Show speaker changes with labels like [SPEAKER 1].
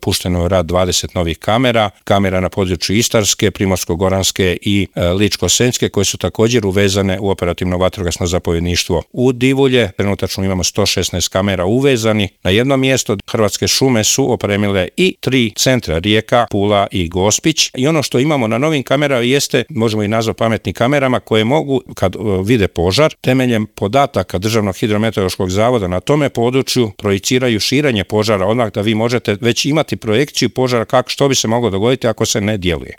[SPEAKER 1] pušteno je u rad 20 novih kamera na području Istarske, Primorsko-goranske i Ličko-senjske, koje su također uvezane u operativno vatrogasno zapovjedništvo u Divulje. Trenutačno imamo 116 kamera uvezani na jedno mjesto. Hrvatske šume su opremile i 3 centra, Rijeka, Pula i Gospić. I ono što imamo na novim kamerama jeste, možemo i nazvati pametnim kamerama, koje mogu, kad vide požar, temeljem podataka Državnog hidrometeorološkog zavoda na tome području projiciraju širenje požara, odmah da vi možete već imati projekciju požara što bi se moglo dogoditi ako se ne djeluje.